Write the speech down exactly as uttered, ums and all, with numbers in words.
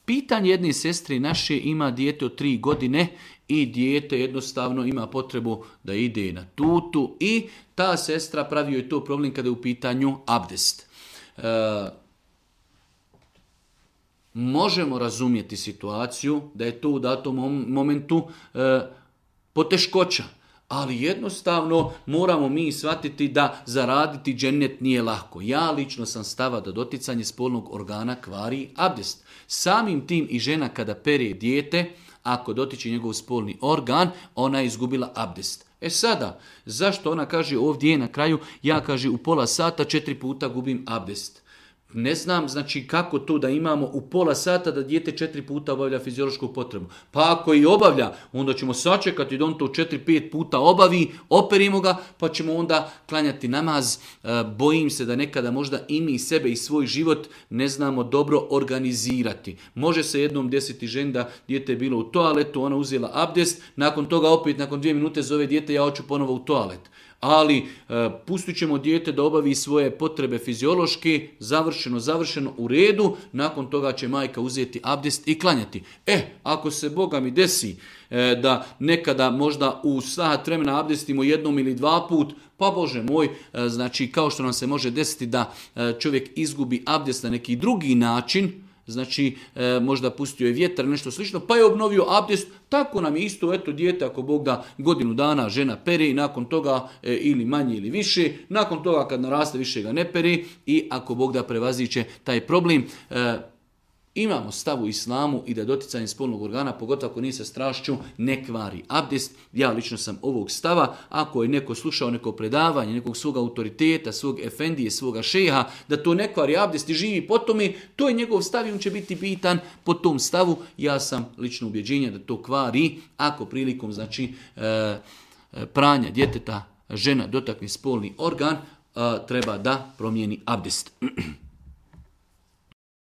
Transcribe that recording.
Pitanje jedne sestre naše, ima dijete od tri godine i dijete jednostavno ima potrebu da ide na tutu i ta sestra pravi joj to problem kada je u pitanju abdest. E, možemo razumjeti situaciju da je to u datom momentu e, poteškoća. Ali jednostavno moramo mi shvatiti da zaraditi džennet nije lako. Ja lično sam stava da doticanje spolnog organa kvari abdest. Samim tim i žena kada pere dijete, ako dotiče njegov spolni organ, ona je izgubila abdest. E sada, zašto ona kaže ovdje na kraju, ja kaže u pola sata četiri puta gubim abdest. Ne znam znači kako to da imamo u pola sata da dijete četiri puta obavlja fiziološku potrebu. Pa ako i obavlja, onda ćemo sačekati da on to četiri pet puta obavi, operimo ga, pa ćemo onda klanjati namaz. E, bojim se da nekada možda i mi sebe i svoj život ne znamo dobro organizirati. Može se jednom desiti ženi da dijete je bilo u toaletu, ona uzela abdest, nakon toga opet, nakon dvije minute zove dijete, ja hoću ponovo u toalet. Ali e, pustit ćemo dijete da obavi svoje potrebe fiziološke, završeno, završeno, u redu, nakon toga će majka uzeti abdest i klanjati. E, ako se Boga mi desi e, da nekada možda u sat vremena abdestimo jednom ili dva put, pa Bože moj, e, znači kao što nam se može desiti da e, čovjek izgubi abdest na neki drugi način, znači e, možda pustio je vjetar, nešto slično, pa je obnovio abdest, tako nam je isto, eto dijete, ako Bog da godinu dana žena pere i nakon toga e, ili manje ili više, nakon toga kad naraste više ga ne pere i ako Bog da prevaziće taj problem. E, Imamo stav u islamu i da doticanje spolnog organa, pogotovo ako nije sa strašću, ne kvari abdest. Ja lično sam ovog stava. Ako je neko slušao neko predavanje, nekog svog autoriteta, svog efendije, svoga šeha, da to ne kvari abdest i živi po tome, to je njegov stav i on će biti pitan po tom stavu. Ja sam lično ubjeđenja da to kvari ako prilikom znači e, pranja djeteta žena dotakne spolni organ, e, treba da promijeni abdest.